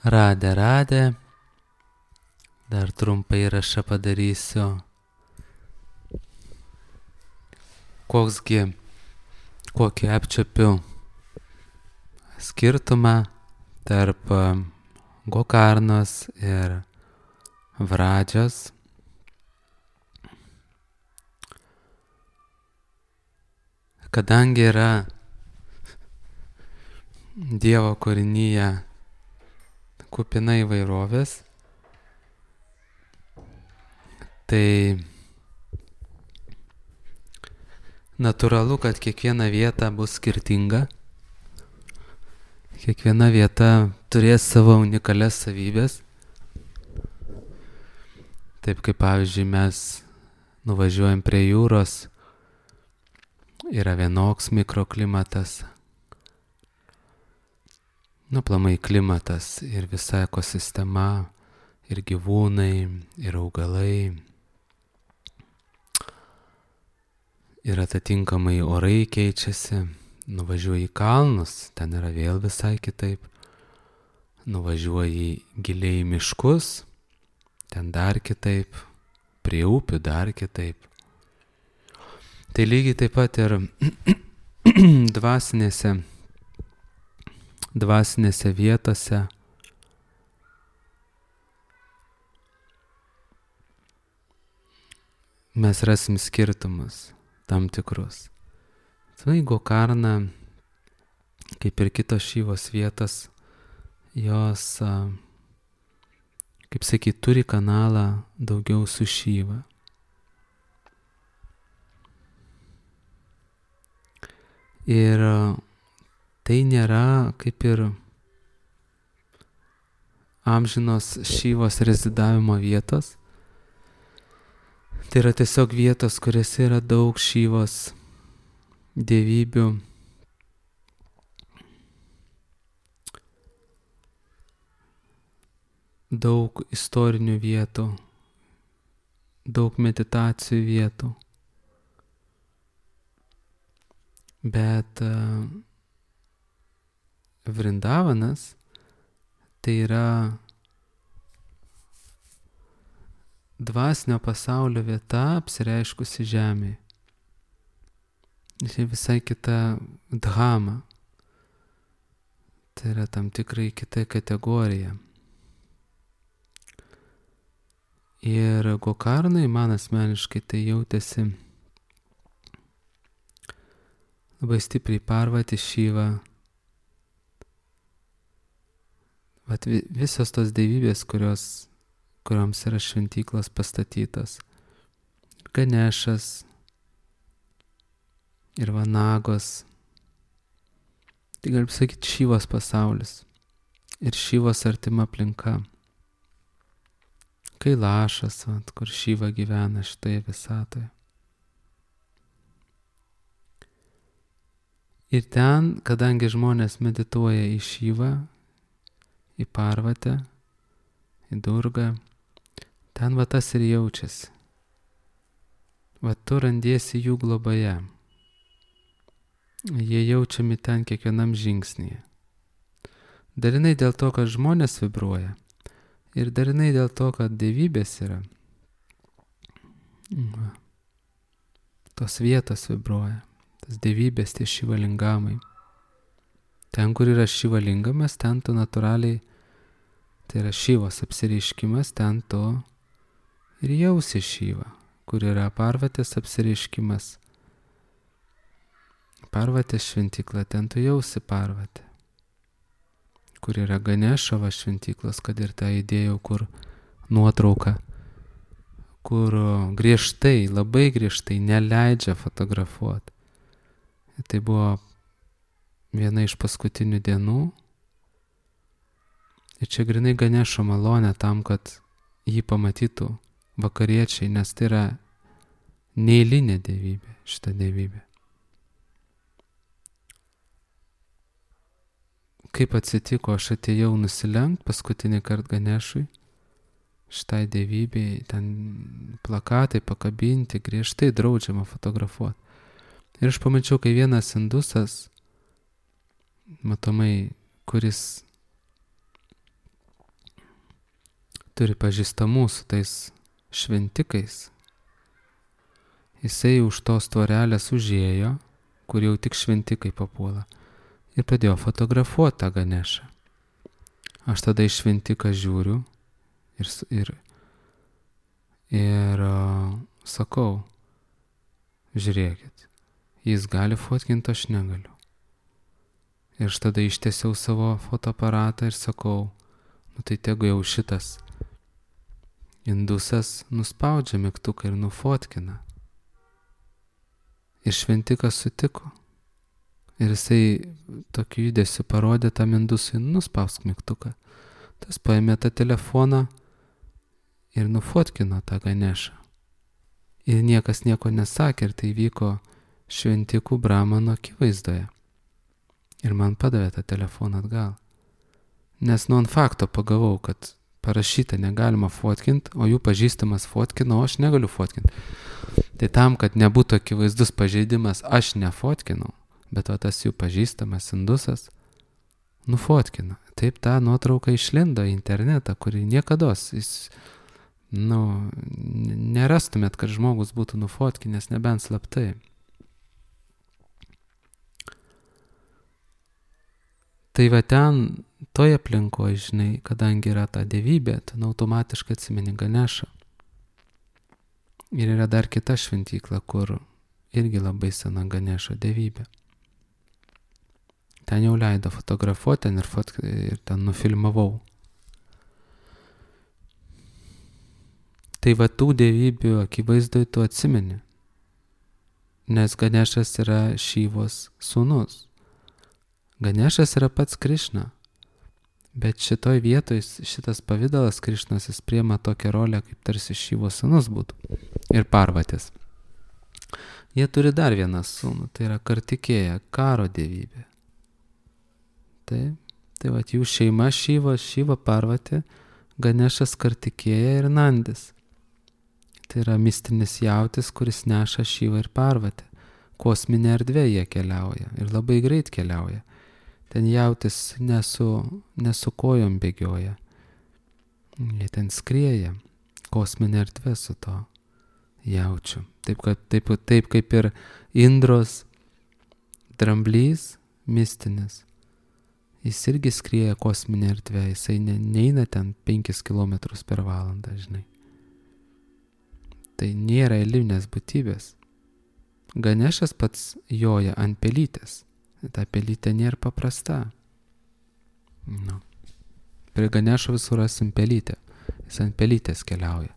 Radė. Dar trumpą įrašą padarysiu. Kokį apčiuopiu skirtumą tarp Gokarnos ir Vradžios. Kadangi yra Dievo kūrinyje kupina įvairovės, tai natūralu, kad kiekviena vieta bus skirtinga. Kiekviena vieta turės savo unikalias savybės. Taip kaip pavyzdžiui mes nuvažiuojam prie jūros, yra vienoks mikroklimatas. Aplamai klimatas ir visa ekosistema, ir gyvūnai, ir augalai. Ir atitinkamai orai keičiasi. Nuvažiuoji į kalnus, ten yra vėl visai kitaip. Nuvažiuoji giliai į miškus, ten dar kitaip. Prie upių dar kitaip. Tai lygiai taip pat ir dvasinėse vietose. Mes rasim skirtumus tam tikrus. Tai Gokarna, kaip ir kitos Šivos vietos, jos, kaip sakyt, turi kanalą daugiau su Šiva. Ir tai nėra kaip ir amžinos Šivos rezidavimo vietos. Tai yra tiesiog vietos, kuriuose yra daug Šivos dievybių. Daug istorinių vietų, daug meditacijų vietų. Bet Vrindavanas tai yra dvasinio pasaulio vieta apsireiškusi žemėje. Tai visai kita dhama. Tai yra tam tikrai kita kategorija. Ir Gokarnai man asmeniškai tai jautėsi labai stipriai Parvati, Šiva. Visos tos dievybės, kurioms yra šventyklos pastatytos. Ganešas ir Vanagos. Tai galim sakyti Šivos pasaulis. Ir Šivos artima aplinka. Kailašas, kur Šiva gyvena šitoje visatoje. Ir ten, kadangi žmonės medituoja į Šivą, į Parvatę, į Durgą, ten tas ir jaučiasi. Tu randiesi jų globoje. Jie jaučiami ten kiekvienam žingsnyje. Darinai dėl to, kad žmonės vibruoja. Ir darinai dėl to, kad dievybės yra. Tos vietos vibruoja. Tas dievybės, tie šivalingamai. Ten, kur yra šivalingamas, ten tu natūraliai, tai yra Šivos apsireiškimas, ten tu ir jausi Šivą. Kur yra Parvatės apsireiškimas. Parvatės šventykla, ten tu jausi Parvatę. Kur yra Ganešavo šventyklos, kad ir tą įdėjau, kur nuotrauka, kur griežtai, labai griežtai neleidžia fotografuoti. Tai buvo viena iš paskutinių dienų. Ir čia grinai Ganešo malonė tam, kad jį pamatytų vakariečiai, nes tai yra neeilinė dievybė, šita dievybė. Kaip atsitiko, aš atėjau nusilenkt paskutinį kartą Ganešui, šitai dievybei, ten plakatai pakabinti, griežtai draudžiama fotografuoti. Ir aš pamačiau, kai vienas indusas, matomai, kuris turi pažįstamų su tais šventikais. Jisai už tos tvorelės užėjo, kur jau tik šventikai papuola, ir pradėjo fotografuoti tą Ganešą. Aš tada į šventiką žiūriu ir sakau, žiūrėkit, jis gali fotkinti, aš negaliu. Ir aš tada ištiesiau savo fotoaparatą ir sakau, tai tegu jau šitas indusas nuspaudžia mygtuką ir nufotkina. Ir šventikas sutiko. Ir jisai tokiu judesiu parodė tam indusui, nuspausk mygtuką. Tas paėmė tą telefoną ir nufotkino tą Ganešą. Ir niekas nieko nesakė, ir tai vyko šventikų Brahmano akivaizdoje. Ir man padavė tą telefoną atgal. Nes ant fakto pagavau, kad parašyta negalima fotkinti, o jų pažįstamas fotkino, o aš negaliu fotkinti. Tai tam, kad nebūtų akivaizdus pažeidimas, aš nefotkinau, bet tas jų pažįstamas indusas nufotkino. Taip ta nuotrauka išlindo į internetą, kurį niekados nerastumėt, kad žmogus būtų nufotkinęs, nebent slaptai. Tai va ten, toje aplinkoje, žinai, kadangi yra ta dievybė, ten automatiškai atsimeni Ganešą. Ir yra dar kita šventykla, kur irgi labai sena Ganešo dievybė. Ten jau leido fotografuoti ir ten nufilmavau. Tai va tų dievybių akivaizdoj tu atsimeni, nes Ganešas yra Šyvos sūnus. Ganešas yra pats Krišna, bet šitoj vietoj šitas pavidalas Krišnos jis priema tokią rolę, kaip tarsi Šyvos sūnus būtų ir Parvatės. Jie turi dar vieną sūnų, tai yra Kartikėja, karo dievybė. Tai va jų šeima Šyva Parvatė, Ganešas, Kartikėja ir Nandis. Tai yra mistinis jautis, kuris neša Šyvą ir Parvatę. Kosminė erdvė jie keliauja ir labai greit keliauja. Ten jautis nesu kojom bėgioja. Jie ten skrieja. Kosminė erdvė su to jaučiu. Taip kaip ir Indros dramblys mistinis. Jis irgi skrieja kosminė erdvė. Jisai neina ten 5 km per valandą, žinai. Tai nėra eilinės būtybės. Ganešas pats joja ant pelytės. Ta pelytė nėra paprasta. Prie Ganešo visur rasim pelytę. Jis ant pelytės keliauja.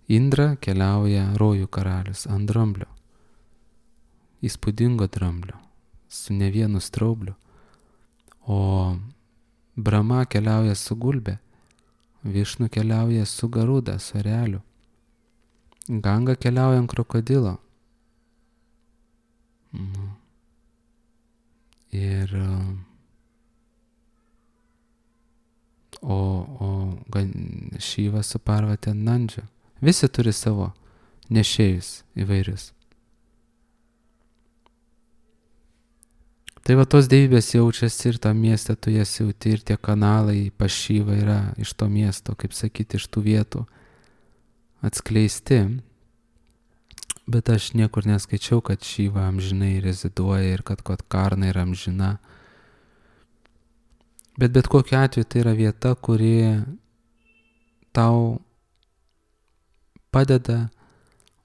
Indra keliauja rojų karalius ant dramblio. Įspūdingo dramblio. Su ne vienu straubliu. O Brahma keliauja su gulbė. Višnu keliauja su garuda, su ereliu. Ganga keliauja ant krokodilo. Ir Šyva su Parvatė ant Nandžio. Visi turi savo nešėjus įvairius. Tai va tos dievybės jaučiasi ir tam mieste tu jas jauti ir tie kanalai pas Šyvą yra iš to miesto, kaip sakyti, iš tų vietų atskleisti. Bet aš niekur neskaičiau, kad Šyva amžinai reziduoja ir kad Karna yra amžina. Bet kokiu atveju tai yra vieta, kuri tau padeda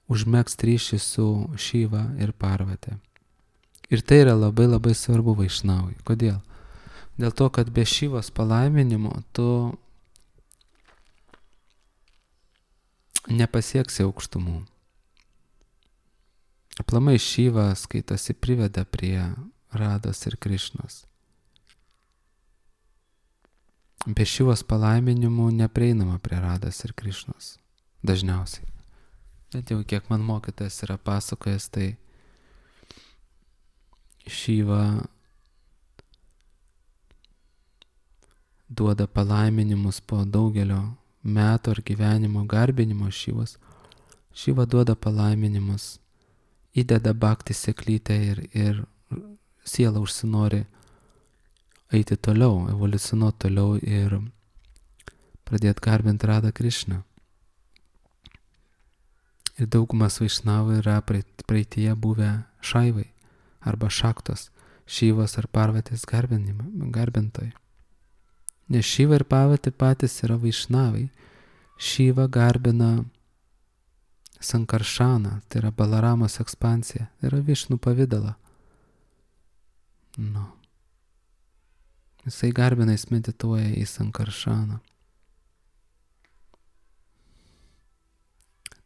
užmegzti ryšį su Šyva ir Parvatė. Ir tai yra labai labai svarbu vaišnavui. Kodėl? Dėl to, kad be Šyvos palaiminimo tu nepasieksi aukštumų. Aplamai Šyva skaitosi priveda prie Rados ir Krišnos. Be Šyvos palaiminimų neprieinama prie Rados ir Krišnos. Dažniausiai. Bet jau kiek man mokytojas yra pasakojęs, tai Šyva duoda palaiminimus po daugelio metų ar gyvenimo garbinimo Šyvos. Šyva duoda palaiminimus, įdeda bhakti seklytę ir siela užsinori eiti toliau, evoliucionuoti toliau ir pradėti garbinti Radą Krišną. Ir daugumas vaišnavų yra praeityje buvę šaivai arba šaktos, Šyvos ar Parvatės garbintojai. Nes Šyva ir Parvatė patys yra vaišnavai. Šyva garbina Sankaršaną, tai yra Balaramos ekspansija, tai yra Višnų pavidalą. Nu. Jisai garbina, jis medituoja į Sankaršaną.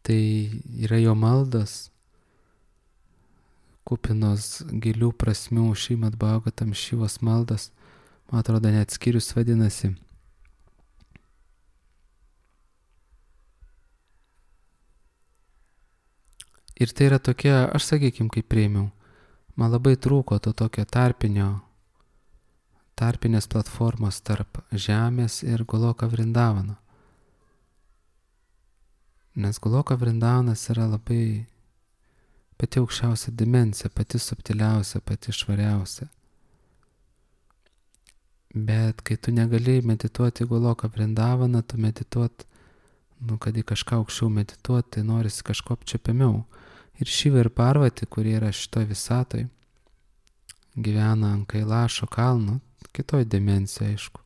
Tai yra jo maldos, kupinos gilių prasmių, Šrimad Bhagavatam Šyvos maldos, man atrodo, net skyrius vadinasi. Ir tai yra tokia, aš sakykim, kaip priėmiau, man labai trūko to tokio tarpinės platformos tarp žemės ir Goloka Vrindavano. Nes Goloka Vrindavanas yra labai pati aukščiausia dimensija, pati subtiliausia, pati švariausia. Bet kai tu negali medituoti Goloka Vrindavaną, tu medituot, kad į kažką aukščiau medituoti, tai norisi kažko apčiuopiamiau. Ir Šyva ir Parvatė, kurie yra šitoj visatoj, gyvena ant Kailašo kalno, kitoj dimensijoje, aišku.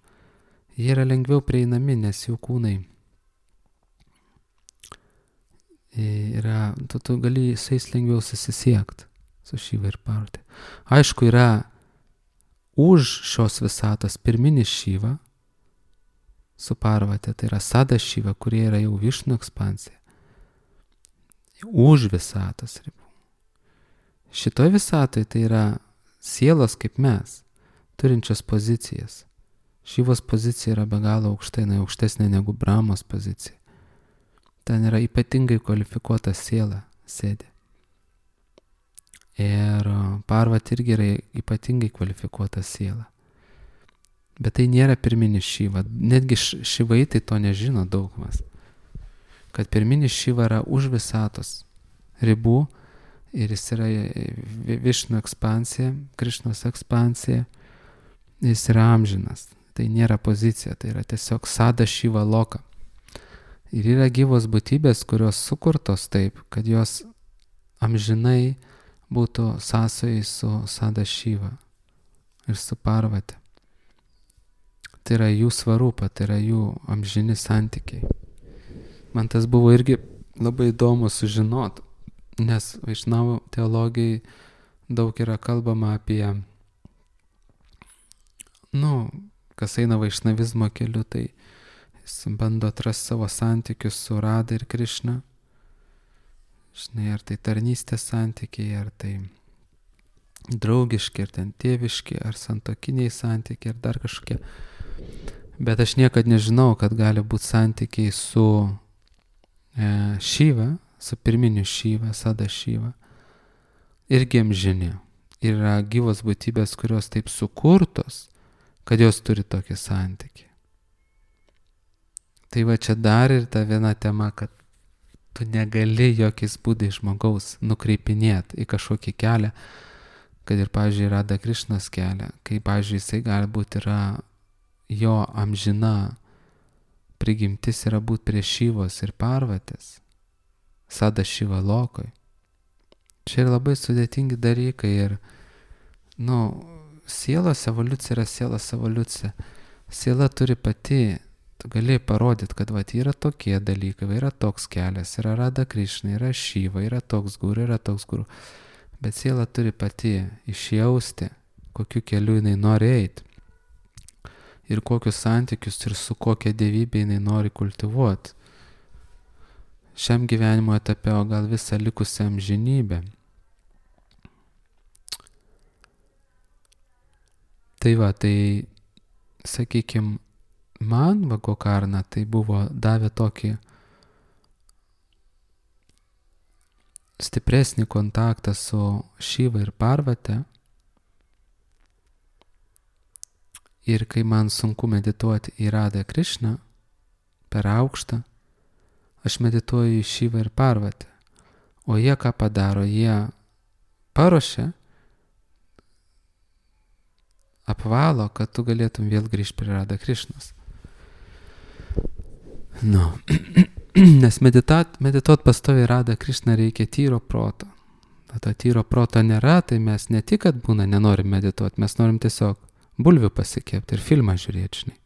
Jie yra lengviau prieinami, nes jų kūnai yra, tu gali su jais lengviau susisiekti, su Šyva ir Parvatė. Aišku, yra už šios visatos pirminis Šyva su Parvatė, tai yra Sada Šyva, kurie yra jau Višnų ekspansija. Už visatos ribų. Šitoj visatoje tai yra sielos kaip mes, turinčios pozicijas. Šyvos pozicija yra be galo aukštai, aukštesnė negu Brahmos pozicija. Ten yra ypatingai kvalifikuota siela sėdi. Ir Parvatė irgi yra ypatingai kvalifikuota siela. Bet tai nėra pirminis Šyva. Netgi Šyvai tai to nežino daugumas. Kad pirminis Šyva yra už visatos ribų ir jis yra Višnų ekspansija, Krišnos ekspansija, jis yra amžinas. Tai nėra pozicija, tai yra tiesiog Sada Šyva Loka. Ir yra gyvos būtybės, kurios sukurtos taip, kad jos amžinai būtų sąsojai su Sada Šyva ir su Parvatė. Tai yra jų svarupa, tai yra jų amžini santykiai. Man tas buvo irgi labai įdomu sužinoti, nes vaišnavų teologijai daug yra kalbama apie, kas eina vaišnavizmo keliu, tai jis bando atrasti savo santykius su Rada ir Krišna. Žinai, ar tai tarnystės santykiai, ar tai draugiški, ar ten tėviški, ar santokiniai santykiai, ar dar kažkokie. Bet aš niekad nežinau, kad gali būti santykiai su Šyva, su pirminiu Šyva, Sada Šyva. Irgi amžini. Yra gyvos būtybės, kurios taip sukurtos, kad jos turi tokį santykį. Tai va čia dar ir ta viena tema, kad tu negali jokiais būdais žmogaus nukreipinėti į kažkokį kelią, kad ir, pavyzdžiui, Rada Krišnos kelią, kai, pavyzdžiui, jisai galbūt yra jo amžina prigimtis yra būti prie Šyvos ir Parvatės, Sada Šyva Lokoj. Čia yra labai sudėtingi dalykai ir, sielos evoliucija yra sielos evoliucija. Siela turi pati, tu gali parodyti, kad yra tokie dalykai, yra toks kelias, yra Rada Krišna, yra Šyva, yra toks guru, yra toks guru. Bet siela turi pati išjausti, kokiu keliu jinai nori eiti. Ir kokius santykius ir su kokia dievybė jinai nori kultivuoti. Šiam gyvenimo etape, o gal visą likusią amžinybę. Tai va, tai, sakykim, man Gokarna tai buvo davė tokį stipresnį kontaktą su Šyva ir Parvatė. Ir kai man sunku medituoti į Radą Krišną per aukštą, aš medituoju į Šyvą ir Parvatę. O jie ką padaro? Jie paruošia, apvalo, kad tu galėtum vėl grįžti prie Rada Krišnos. Nu, nes medituot pastoviai Radha Krišną reikia tyro proto. To tyro proto nėra, tai mes ne tik, kad būna nenorim medituoti, mes norim tiesiog bulvių pasikepti ir filmą žiūrėti, žinai.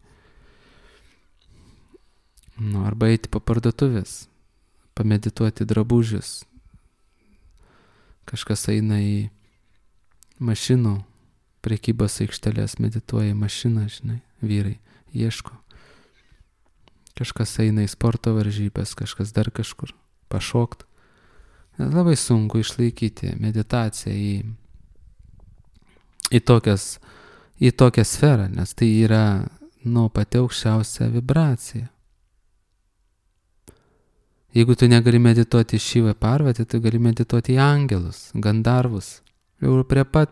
Nu, arba eiti po parduotuvės, pamedituoti drabužius. Kažkas eina į mašinų prekybos aikštelės, medituoja į mašiną, žinai, vyrai ieško. Kažkas eina į sporto varžybės, kažkas dar kažkur pašokt. Labai sunku išlaikyti meditaciją į tokią sferą, nes tai yra, pati aukščiausia vibracija. Jeigu tu negali medituoti Šivą Parvatį, tu gali medituoti į angelus, gandarvus. Jau prie pat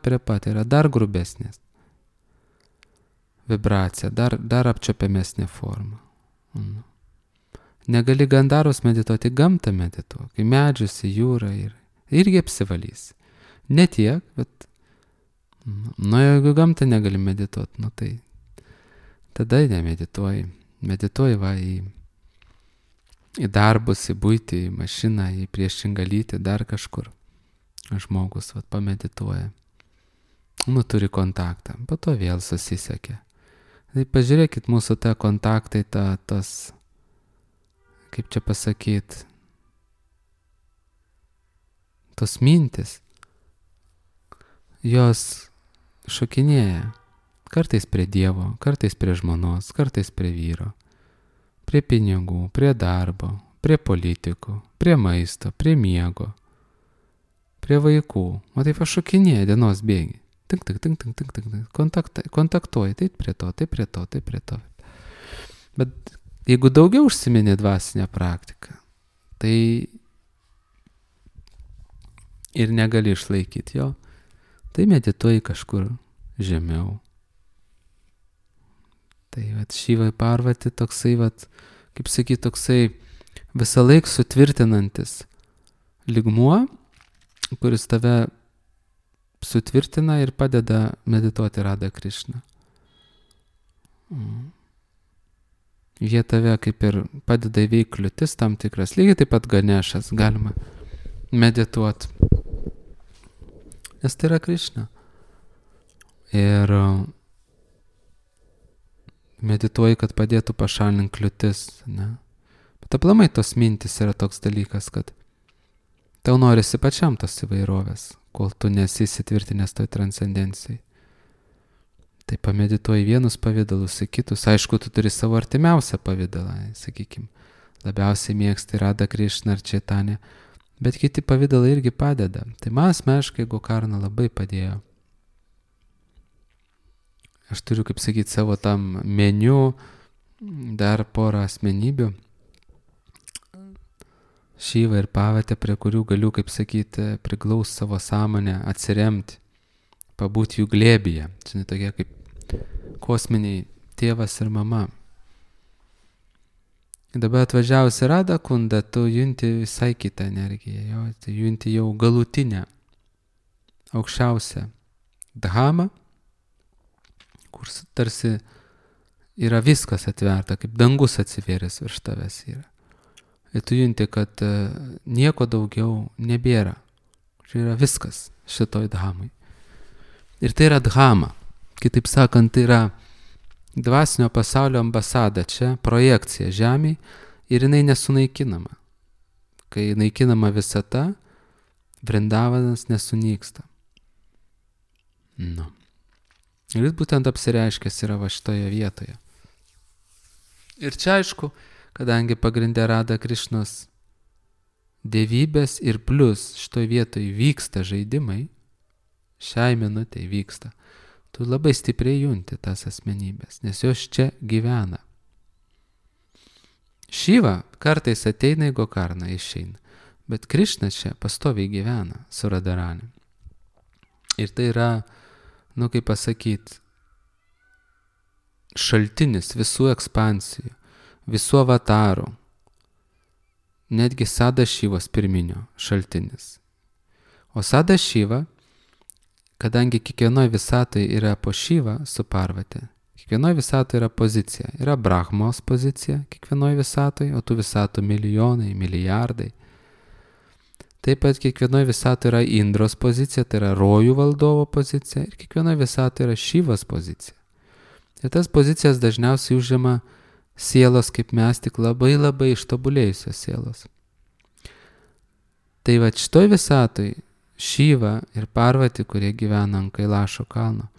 yra dar grubesnės vibracija, dar apčiuopiamesnė forma. Negali gandarvus medituoti, gamtą medituoti, į medžius, į jūrą irgi apsivalys. Ne tiek, bet jeigu gamtą negali medituoti, tai tada nemedituoji. Medituoji į darbus, į buitį, į mašiną, į priešingą lytį, dar kažkur. Žmogus pamedituoja. Turi kontaktą, po to vėl susisiekia. Tai pažiūrėkit, mūsų ta kontaktai, tas, kaip čia pasakyti, tos mintis, jos šokinėja. Kartais prie Dievo, kartais prie žmonos, kartais prie vyro, prie pinigų, prie darbo, prie politikų, prie maisto, prie miego, prie vaikų. O taip šokinėja dienos bėgi. Tink, kontaktuoji, taip prie to. Bet jeigu daugiau užsiminė dvasinę praktiką, tai ir negali išlaikyti jo, tai medituoji kažkur žemiau. Tai Šivai Parvati toksai, kaip sakyti, toksai visą laik sutvirtinantis lygmuo, kuris tave sutvirtina ir padeda medituoti Radha Krišną. Jie tave kaip ir padeda įveikti kliūtis tam tikras. Lygiai taip pat Ganešas galima medituoti. Nes tai yra Krišna. Ir medituoji, kad padėtų pašalinti kliūtis. Ne? Bet aplamai tos mintis yra toks dalykas, kad tau norisi pačiam tos įvairovės, kol tu nesi įsitvirtinęs toj transcendencijai. Tai pamedituoji vienus pavidalus, į kitus. Aišku, tu turi savo artimiausią pavidalą, sakykim. Labiausiai mėgsti Radha Krišną ar Čaitanę, bet kiti pavidalai irgi padeda. Tai man asmeniškai Gokarna labai padėjo. Aš turiu, kaip sakyti, savo tam meniu dar porą asmenybių. Šivą ir Parvatę, prie kurių galiu, kaip sakyti, priglaus savo sąmonę, atsiremti, pabūti jų glėbyje. Čia tokie kaip kosminiai tėvas ir mama. Dabar atvažiavus į Radha Kundą, tu junti visai kitą energiją, tu junti jau galutinę, aukščiausią dhamą, kur tarsi yra viskas atverta, kaip dangus atsivėręs virš tavęs yra. Ir tu junti, kad nieko daugiau nebėra. Čia yra viskas šitoj dhamai. Ir tai yra dhama. Kitaip sakant, tai yra dvasinio pasaulio ambasada čia, projekcija žemėj ir jinai nesunaikinama. Kai naikinama visata, Vrindavanas nesunyksta. Ir jis būtent apsireiškęs yra va šitoje vietoje. Ir čia aišku, kadangi pagrindė Radha Krišnos dievybės ir plus šitoje vietoje vyksta žaidimai, šiai minutei vyksta, tu labai stipriai junti tas asmenybės, nes jos čia gyvena. Šiva kartais ateina į Gokarną, išeina, bet Krišna čia pastoviai gyvena su Radharani. Ir tai yra, kaip pasakyti, šaltinis visų ekspansijų, visų avatarų, netgi Sadašivos pirminio šaltinis. O Sadašiva, kadangi kiekvienoje visatoje yra po Šivą su Parvate, Kiekvienoje visatoje yra pozicija. Yra Brahmos pozicija kiekvienoje visatoje, o tų visatų milijonai, milijardai. Taip pat kiekvienoje visatoje yra Indros pozicija, tai yra rojų valdovo pozicija, ir kiekvienoje visatoje yra Šivos pozicija. Ir tas pozicijas dažniausiai užima sielos kaip mes, tik labai labai ištobulėjusios sielos. Tai va šitoj visatoj Šiva ir Parvati, kurie gyvena ant Kailašo kalno,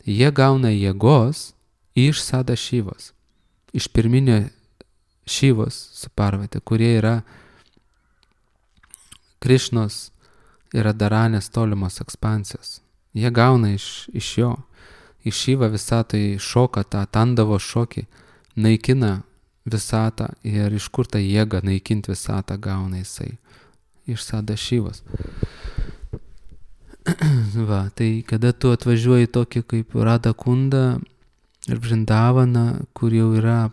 jie gauna jėgos iš Sada Šivos, iš pirminio Šivos su Parvati, kurie yra Krišnos ir Radharanės tolimos ekspansijos. Jie gauna iš jo. Iš Šiva visatoj šoka tą Tandavo šokį, naikina visatą, ir iš kur tą jėgą naikinti visatą gauna jisai? Iš Sada Šivos. Va, tai kada tu atvažiuoji tokį kaip Radha Kundą ir Vrindavaną, kur jau yra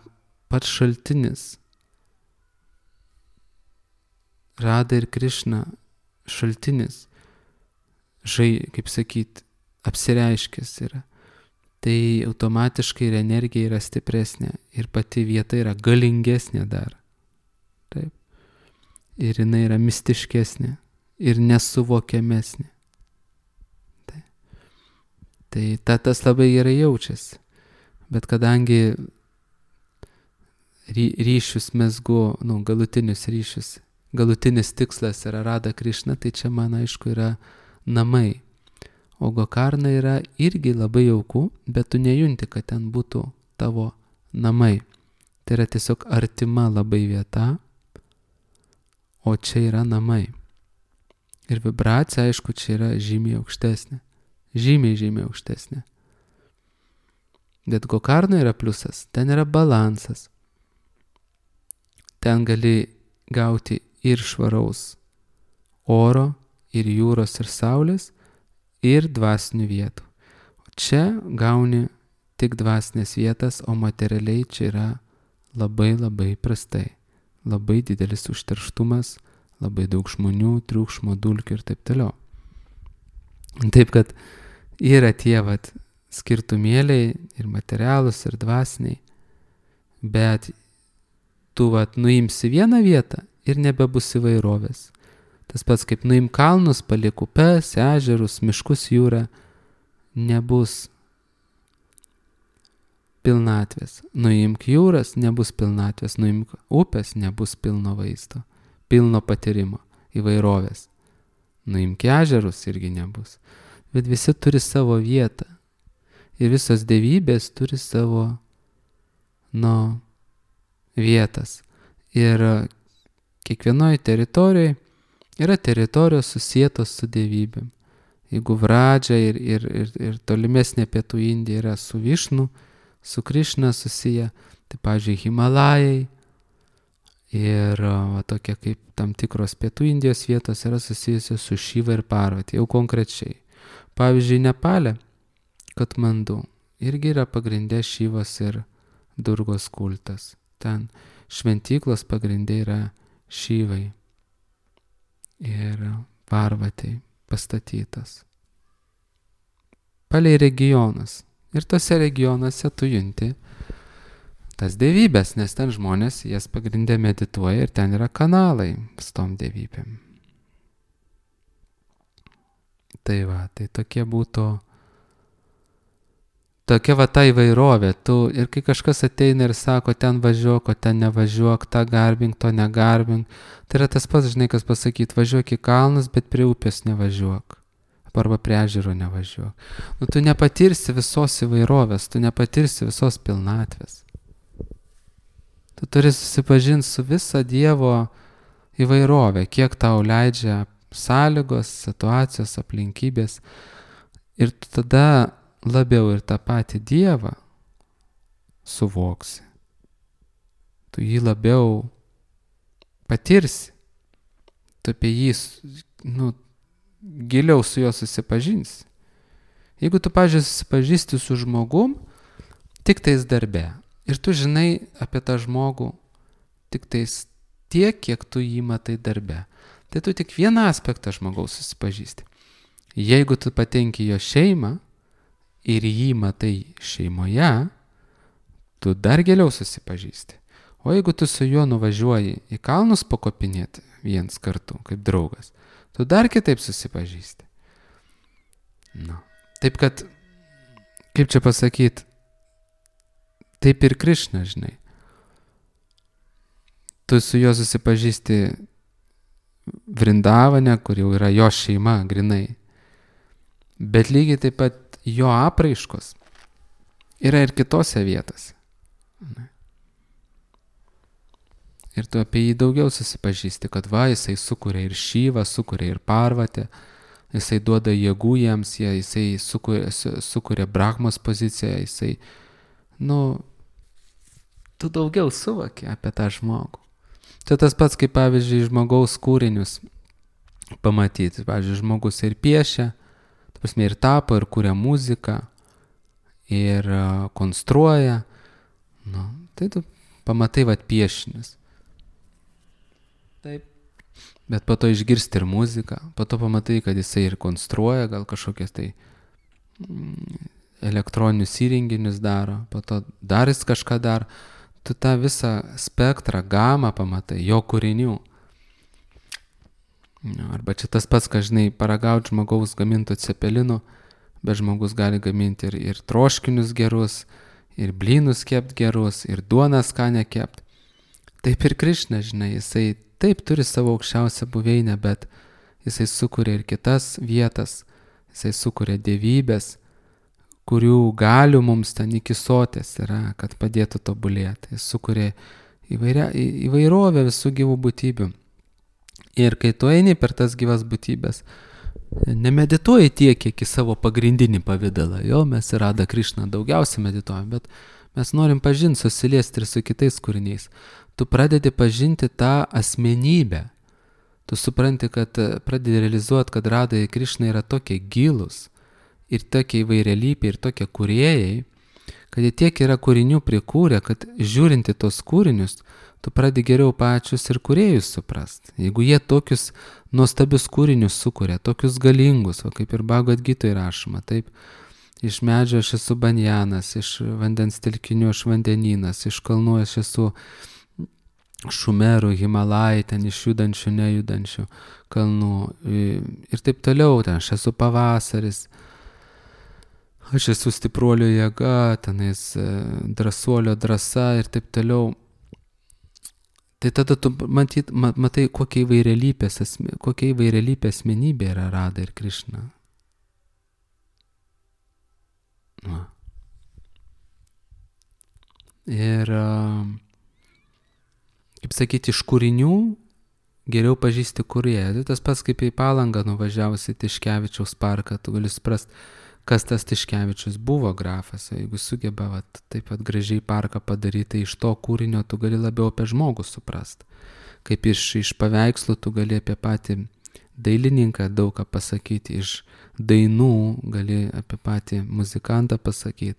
pats šaltinis, Radha ir Krišna šaltinis, kaip sakyt, apsireiškęs yra, tai automatiškai ir energija yra stipresnė ir pati vieta yra galingesnė dar. Taip. Ir jinai yra mistiškesnė ir nesuvokiamesnė. Tai tas labai gerai jaučiasi. Bet kadangi ryšius mezgu, galutinius ryšius, galutinis tikslas yra Radha Krišna, tai čia man aišku yra namai. O Gokarna yra irgi labai jauku, bet tu nejunti, kad ten būtų tavo namai. Tai yra tiesiog artima labai vieta, o čia yra namai. Ir vibracija, aišku, čia yra žymiai aukštesnė. Žymiai aukštesnė. Bet Gokarna yra pliusas, ten yra balansas. Ten gali gauti ir švaraus oro, ir jūros, ir saulės, ir dvasinių vietų. O čia gauni tik dvasinės vietas, o materialiai čia yra labai labai prastai. Labai didelis užterštumas, labai daug žmonių, triukšmo, dulkių ir taip toliau. Taip kad yra tie skirtumėliai ir materialūs, ir dvasiniai, bet tu nuimsi vieną vietą ir nebebus įvairovės. Tas pats kaip nuim kalnus, paliek upes, ežerus, miškus, jūrą, nebus pilnatvės. Nuimk jūras, nebus pilnatvės. Nuimk upės, nebus pilno vaisto, pilno patyrimo, įvairovės. Nuimk ežerus, irgi nebus. Bet visi turi savo vietą. Ir visos dievybės turi savo, vietas. Ir kiekvienoje teritorijoje yra teritorijos susietos su dievybėm. Jeigu Vradža ir tolimesnė pietų Indija yra su Višnu, su Krišna susiję, tai pavyzdžiui Himalajai ir tokie kaip tam tikros pietų Indijos vietos yra susijusios su Šiva ir Parvati, jau konkrečiai. Pavyzdžiui, Nepale, Katmandu, irgi yra pagrindė Šivos ir Durgos kultas. Ten šventyklos pagrindė yra Šivai ir Parvatai pastatytas. Palei regionus. Ir tose regionuose tu junti tas dievybės, nes ten žmonės jas pagrindė medituoja ir ten yra kanalai su tom dievybėm. Tai tokie būtų, tokia ta įvairovė. Ir kai kažkas ateina ir sako, ten važiuok, o ten nevažiuok, tą garbink, to negarbink, tai yra tas pats, žinai, kas pasakyti, važiuok į kalnus, bet prie upės nevažiuok. Arba prie ežero nevažiuok. Tu nepatirsi visos įvairovės, tu nepatirsi visos pilnatvės. Tu turi susipažinti su visa Dievo įvairovė, kiek tau leidžia sąlygos, situacijos, aplinkybės. Ir tu tada labiau ir tą patį Dievą suvoksi. Tu jį labiau patirsi. Tu apie jį, giliau su juo susipažinsi. Jeigu tu, pavyzdžiui, susipažįsti su žmogum tik tais darbe ir tu žinai apie tą žmogų tik tais tiek, kiek tu jį matai darbe, tai tu tik vieną aspektą žmogaus susipažįsti. Jeigu tu patenki jo šeimą ir jį matai šeimoje, tu dar giliau susipažįsti. O jeigu tu su juo nuvažiuoji į kalnus pakopinėti viens kartu, kaip draugas, tu dar kitaip susipažįsti. Na. Taip kad, kaip čia pasakyti, taip ir Krišna, žinai. Tu su juo susipažįsti Vrindavane, kur jau yra jo šeima, grinai. Bet lygiai taip pat jo apraiškos yra ir kitose vietose. Ir tu apie jį daugiau susipažįsti, kad va, jisai sukuria ir Šyvą, sukuria ir Parvatę, jisai duoda jėgų jiems, jisai sukuria Brahmos poziciją, jisai, tu daugiau suvoki apie tą žmogų. Tai tas pats, kaip pavyzdžiui, žmogaus kūrinius pamatyti. Pavyzdžiui, žmogus ir piešia, ir tapo, ir kuria muziką, ir konstruoja. Tai tu pamatai piešinius. Taip. Bet po to išgirsti ir muziką, po to pamatai, kad jisai ir konstruoja, gal kažkokias tai elektroninius įrenginius daro, po to dar jis kažką daro. Tu tą visą spektrą, gamą pamatai, jo kūrinių. Arba čia tas pats, kad, žinai, paragauti žmogaus gaminto cepelinų, bet žmogus gali gaminti ir troškinius gerus, ir blynus kept gerus, ir duoną skanę kept. Taip ir Krišna, žinai, jisai taip turi savo aukščiausią buveinę, bet jisai sukuria ir kitas vietas, jisai sukuria dievybės, kurių galių mums ten iki sotės yra, kad padėtų tobulėti. Jis sukuria įvairovę visų gyvų būtybių. Ir kai tu eini per tas gyvas būtybės, nemedituoji tiek, kiek į savo pagrindinį pavidalą. Jo, mes ir Radha Krišna daugiausiai medituojam, bet mes norim pažinti, susiliesti ir su kitais kūriniais. Tu pradedi pažinti tą asmenybę. Tu supranti, kad pradedi realizuoti, kad Radha Krišna yra tokie gilūs, ir tokie įvairialypiai, ir tokie kūrėjai, kad jie tiek yra kūrinių prikūrę, kad žiūrinti tos kūrinius, tu pradedi geriau pačius ir kūrėjus suprast. Jeigu jie tokius nuostabius kūrinius sukuria, tokius galingus, o kaip ir Bhagavad Gitoje rašoma, taip, iš medžio aš esu banjanas, iš vandens telkinių aš vandenynas, iš kalnų aš esu šumerų, Himalajai, ten iš judančių, nejudančių kalnų ir taip toliau, ten aš esu pavasaris, aš esu stipruolio jėga, tenais drąsuolio drąsa ir taip toliau. Tai tada tu matai, kokia įvairialypė asmenybė yra Radha ir Krišna. Ir, kaip sakyti, iš kūrinių geriau pažįsti kūrėją. Tai tas pats, kaip į Palangą nuvažiavusi Tiškevičiaus parką, tu gali suprast, kas tas Tiškevičius buvo grafas. Jeigu sugeba taip pat gražiai parką padaryti, tai iš to kūrinio tu gali labiau apie žmogų suprast. Kaip iš paveikslų tu gali apie patį dailininką daug ką pasakyti, iš dainų gali apie patį muzikantą pasakyti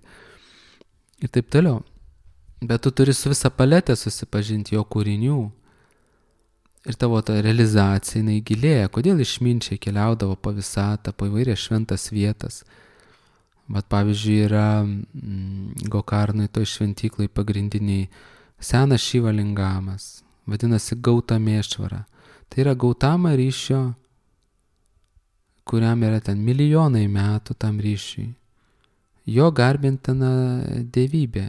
ir taip toliau. Bet tu turi su visą paletę susipažinti jo kūrinių ir tavo ta realizacija, jinai gilėja. Kodėl išminčiai keliaudavo po visatą, po įvairias šventas vietas. Vat pavyzdžiui yra Gokarnai toj šventyklai pagrindiniai senas Šivalingamas, vadinasi Gautamešvara. Tai yra Gautama ryšio, kuriam yra ten milijonai metų tam ryšiui. Jo garbintina dievybė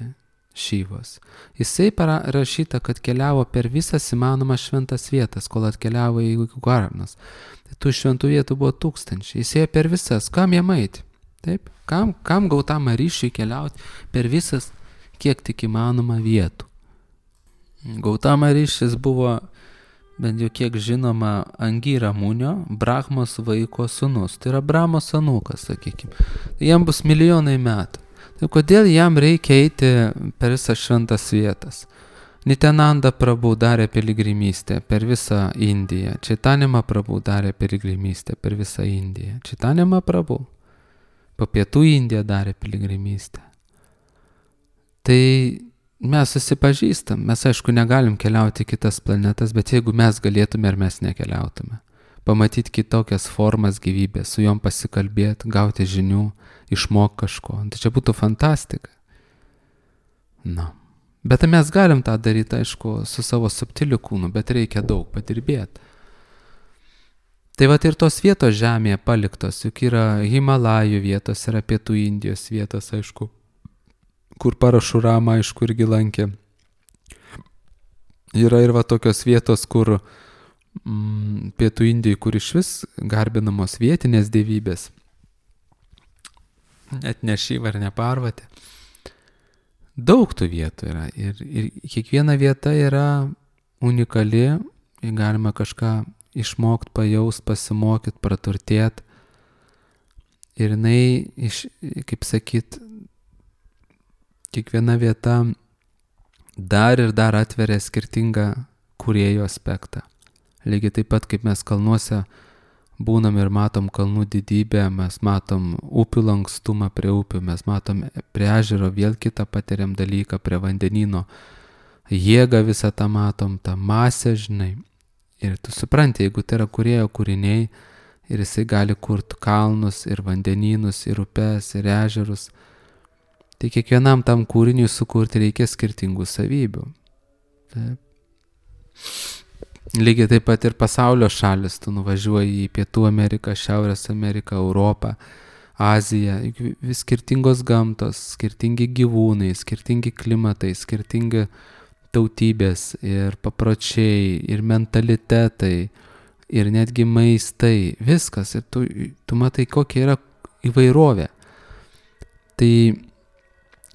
Šyvos. Jisai parašyta, kad keliavo per visas įmanomas šventas vietas, kol atkeliavo į Gokarnas. Tai tų šventų vietų buvo 1000. Jisai per visas, kam jam eiti? Taip? Kam Gautama ryšiui keliauti per visas, kiek tik įmanoma vietų? Gautama ryšis buvo, bent jau kiek žinoma, Angira Munio, Brahmos vaiko sūnus. Tai yra Brahmos anūkas, sakykime. Tai jam bus milijonai metų. Tai kodėl jam reikia eiti per visas šventas vietas? Nityananda Prabhu darė piligrimystę per visą Indiją. Chaitanya Prabhu darė piligrimystę per visą Indiją. Chaitanya Prabhu po pietų Indiją darė piligrimystę. Tai mes susipažįstam. Mes, aišku, negalim keliauti į kitas planetas, bet jeigu mes galėtume, ar mes nekeliautume. Pamatyti kitokias formas gyvybės, su jom pasikalbėti, gauti žinių, išmokti kažko. Tai čia būtų fantastika. Na. Bet mes galim tą daryti, aišku, su savo subtiliu kūnu, bet reikia daug padirbėti. Tai vat ir tos vietos žemėje paliktos, juk yra Himalajų vietos, yra Pietų Indijos vietos, aišku, kur Parašurama, aišku, irgi lankė. Yra ir va tokios vietos, kur Pietų Indijai, kur iš vis garbinamos vietinės dievybės, net ne Šiva ar ne Parvatė. Daug tų vietų yra ir kiekviena vieta yra unikali, galima kažką išmokti, pajaust, pasimokyti, praturtėti. Ir jinai, kaip sakyt, kiekviena vieta dar ir dar atveria skirtingą kūrėjo aspektą. Lygiai taip pat, kaip mes kalnuose būnam ir matom kalnų didybę, mes matom upių lankstumą prie upių, mes matom prie ežero vėl kitą patiriam dalyką, prie vandenyno jėgą visą tą matom, tą masę, žinai. Ir tu supranti, jeigu tai yra kūrėjo kūriniai ir jisai gali kurti kalnus ir vandenynus ir upes ir ežerus, tai kiekvienam tam kūriniui sukurti reikia skirtingų savybių. Taip. Lygiai taip pat ir pasaulio šalis, tu nuvažiuoji į Pietų Ameriką, Šiaurės Ameriką, Europą, Aziją, vis skirtingos gamtos, skirtingi gyvūnai, skirtingi klimatai, skirtingi tautybės ir papročiai, ir mentalitetai, ir netgi maistai, viskas. Ir tu matai, kokia yra įvairovė. Tai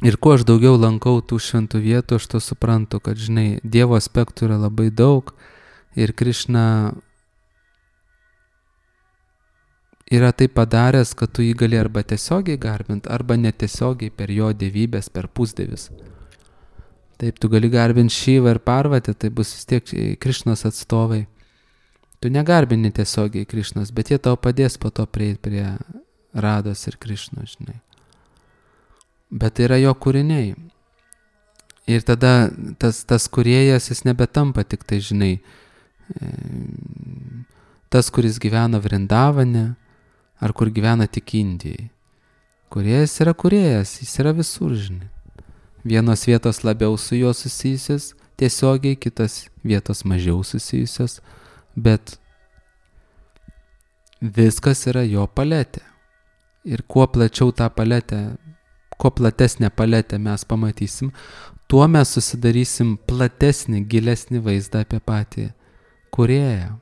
ir kuo aš daugiau lankau tų šventų vietų, aš to suprantu, kad, žinai, Dievo aspektų yra labai daug ir Krišna yra tai padaręs, kad tu jį gali arba tiesiogiai garbinti, arba netiesiogiai per jo dievybės, per pusdievius. Taip, tu gali garbinti Šivą ir Parvatę, tai bus vis tiek Krišnos atstovai. Tu negarbini tiesiogiai Krišnos, bet jie tau padės po to prieiti prie Rados ir Krišnos, žinai. Bet tai yra jo kūriniai. Ir tada tas kūrėjas, jis nebetampa tik tai, žinai, tas, kuris gyvena Vrindavane, ar kur gyvena tik Indijai. Kūrėjas yra kūrėjas, jis yra visur, žinai. Vienos vietos labiau su juo susijusios tiesiogiai, kitos vietos mažiau susijusios, bet viskas yra jo paletė. Ir kuo plačiau tą paletę, kuo platesnę paletę mes pamatysim, tuo mes susidarysim platesnį, gilesnį vaizdą apie patį kūrėją.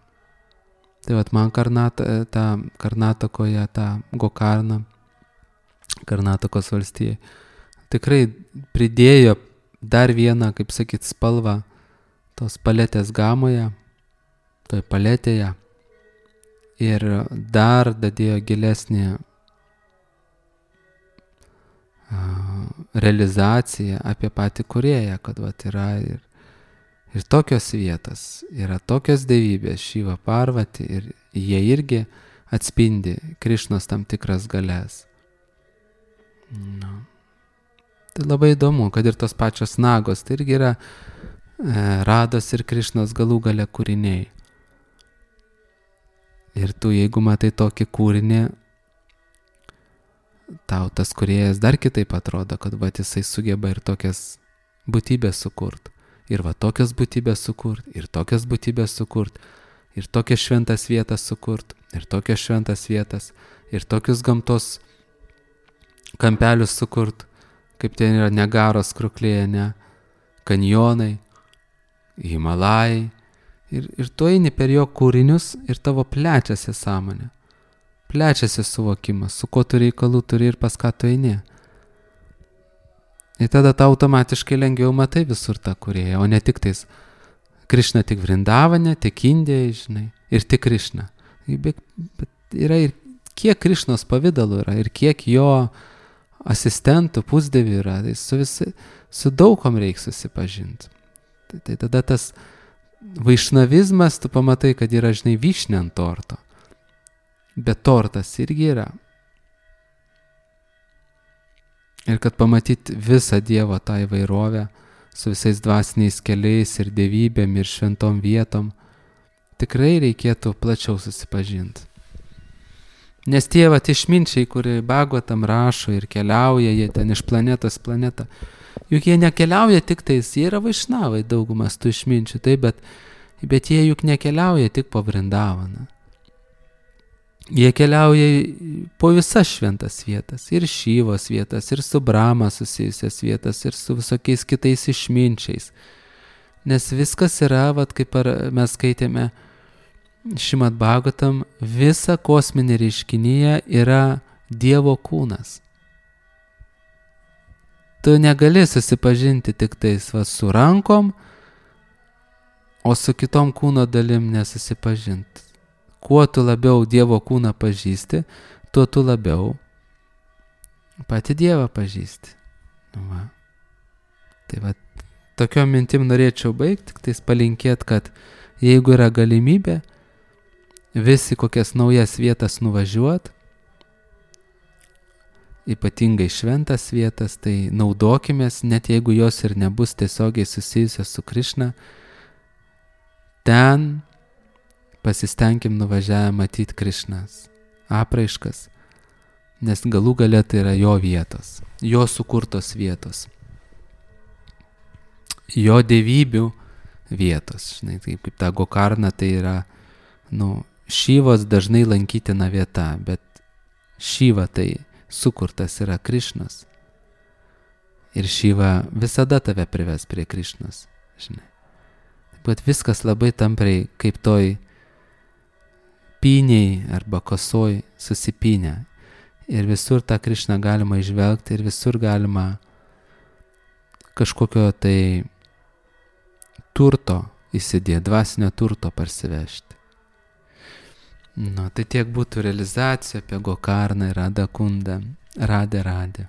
Tai vat man Karnatakoje, tą Gokarną, Karnatakos valstijai, tikrai pridėjo dar vieną, kaip sakyt, spalvą tos paletės gamoje, toj paletėje, ir dar dadėjo gilesnį realizaciją apie patį kūrėją, kad vat yra ir tokios vietos, yra tokios dievybės, Šiva, Parvati, ir jie irgi atspindi Krišnos tam tikras galias. Tai labai įdomu, kad ir tos pačios nagos, tai irgi yra Rados ir Krišnos galų gale kūriniai. Ir tu, jeigu matai tokį kūrinį, tau tas kūrėjas dar kitaip atrodo, kad va jisai sugeba ir tokias būtybės sukurt, ir va tokias būtybės sukurt, ir tokias būtybės sukurt, ir tokias šventas vietas sukurt, ir tokias šventas vietas, ir tokius gamtos kampelius sukurt, kaip ten yra Niagaros kruklėje, ne, kanjonai, Himalajai, ir tu eini per jo kūrinius ir tavo plečiasi sąmonė, plečiasi suvokimas, su kuo tu reikalų turi ir pas ką tu eini. Ir tada tau automatiškai lengviau matai visur tą kūrėją, o ne tik tais Krišna tik Vrindavane, tik Indijai, žinai, ir tik Krišna. Bet yra ir kiek Krišnos pavydalų yra, ir kiek jo asistentų, pusdievių yra, tai su daugom reikia susipažinti. Tai tada tas vaišnavizmas, tu pamatai, kad yra, žinai, vyšnė ant torto. Bet tortas irgi yra. Ir kad pamatyti visą Dievo tą įvairovę, su visais dvasiniais keliais ir dievybėm ir šventom vietom, tikrai reikėtų plačiau susipažinti. Nes tie vat išminčiai, kurie Bhagavatam rašo ir keliauja, jie ten iš planetos planetą, juk jie nekeliauja tik tais, jie yra vaišnavai daugumas tų išminčių, taip, bet jie juk nekeliauja tik po Vrindavaną. Jie keliauja po visas šventas vietas, ir Šyvos vietas, ir su Brahma susijusias vietas, ir su visokiais kitais išminčiais. Nes viskas yra, kaip mes skaitėme Šrimad Bhagavatam, visa kosminė reiškinyje yra Dievo kūnas. Tu negali susipažinti tik tais su rankom, o su kitom kūno dalim nesusipažinti. Kuo tu labiau Dievo kūną pažįsti, tuo tu labiau patį Dievą pažįsti. Tai tokiom mintim norėčiau baigti, tik tais palinkėti, kad jeigu yra galimybė visi kokias naujas vietas nuvažiuot, ypatingai šventas vietas, tai naudokimės, net jeigu jos ir nebus tiesiogiai susijusios su Krišna, ten pasistengim nuvažiavę matyti Krišnas apraiškas, nes galų gale tai yra jo vietos, jo sukurtos vietos, jo dievybių vietos. Žinai, kaip ta Gokarna tai yra, Šyvos dažnai lankytina vieta, bet Šyva tai sukurtas yra Krišnas. Ir Šyva visada tave prives prie Krišnos, žinai. Bet viskas labai tampriai kaip toj pyniai arba kosoj susipynę. Ir visur tą Krišną galima išvelgti ir visur galima kažkokio tai turto įsidėti, dvasinio turto parsivežti. Tai tiek būtų realizacija apie Gokarną ir Radha Kundą. Radhe Radhe.